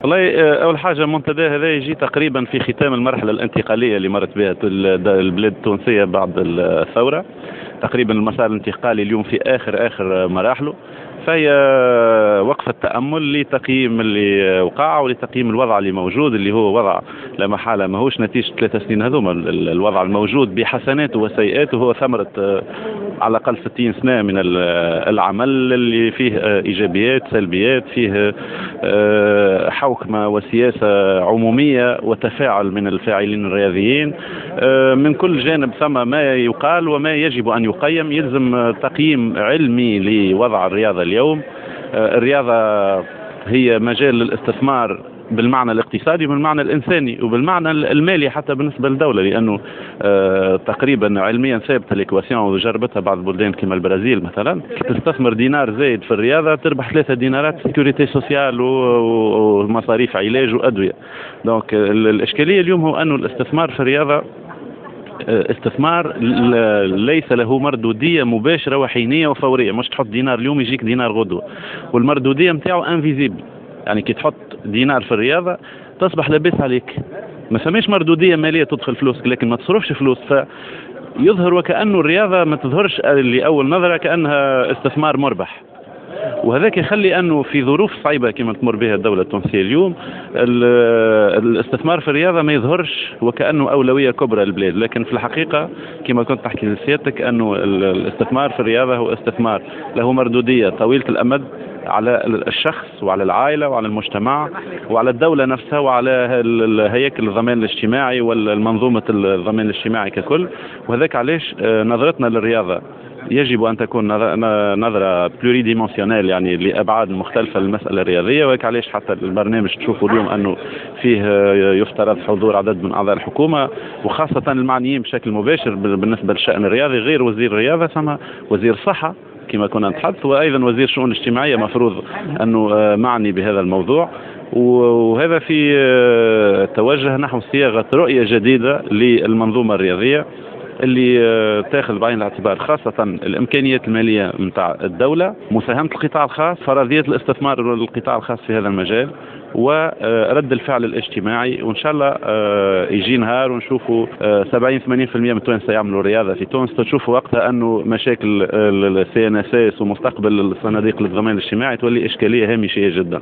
والله اول حاجة، المنتدى هذا يجي تقريبا في ختام المرحلة الانتقالية اللي مرت بها البلاد التونسية بعد الثوره. تقريبا المسار الانتقالي اليوم في اخر اخر مراحله، فهي وقفة تأمل لتقييم اللي وقع ولتقييم الوضع اللي موجود، اللي هو وضع لا محالة ماهوش نتيجة 3 سنين هذوما. الوضع الموجود بحسناته وسيئاته هو ثمرة على الأقل 60 سنة من العمل اللي فيه إيجابيات، سلبيات، فيه حوكمة وسياسة عمومية وتفاعل من الفاعلين الرياضيين من كل جانب. ثم ما يقال وما يجب أن يقيم. يلزم تقييم علمي لوضع الرياضة اليوم. الرياضة هي مجال للاستثمار بالمعنى الاقتصادي وبالمعنى الانساني وبالمعنى المالي حتى بالنسبة للدوله، لانه تقريبا علميا ثابتة l'équation وجربتها بعض البلدان كما البرازيل مثلا، تستثمر دينار زايد في الرياضة تربح 3 دينارات sécurité sociale ومصاريف علاج وادويه. donc الاشكالية اليوم هو انه الاستثمار في الرياضة استثمار ليس له مردوديه مباشرة وحينيه وفوريه، مش تحط دينار اليوم يجيك دينار غدوه، والمردوديه نتاعو invisible. يعني كي تحط دينار في الرياضة تصبح لاباس عليك، ما فماش مردوديه ماليه، تدخل فلوسك لكن ما تصرفش فلوس، ف يظهر وكأنه الرياضة ما تظهرش لأول نظرة كأنها استثمار مربح. وهذاك يخلي انه في ظروف صعيبة كما تمر بها الدولة التونسية اليوم، الاستثمار في الرياضة ما يظهرش وكانه اولوية كبرى للبلاد. لكن في الحقيقه، كما كنت تحكي لسيادتك، انه الاستثمار في الرياضة هو استثمار له مردوديه طويلة الامد على الشخص وعلى العائلة وعلى المجتمع وعلى الدولة نفسها وعلى هياكل الضمان الاجتماعي والمنظومه الضمان الاجتماعي ككل. وهذاك علاش نظرتنا للرياضة يجب ان تكون نظره pluridimensionnelle، يعني لابعاد مختلفة للمسالة الرياضيه. وهيك علاش حتى البرنامج تشوفوا اليوم انه فيه يفترض حضور عدد من اعضاء الحكومه، وخاصة المعنيين بشكل مباشر بالنسبة للشان الرياضي. غير وزير الرياضه، ثم وزير الصحة كما كنا نتحدث، وايضا وزير الشؤون الاجتماعية مفروض انه معني بهذا الموضوع. وهذا في توجه نحو صياغة رؤية جديدة للمنظومة الرياضية اللي تاخذ بعين الاعتبار خاصة الإمكانيات المالية نتاع الدولة، مساهمة القطاع الخاص، فرضية الاستثمار للقطاع الخاص في هذا المجال، ورد الفعل الاجتماعي. وان شاء الله يجي نهار ونشوفوا 70 80% من التوانسة يعملوا رياضة في تونس، تشوفوا وقتها انه مشاكل ال CNSS ومستقبل الصناديق للضمان الاجتماعي تولي اشكالية هامشية جدا.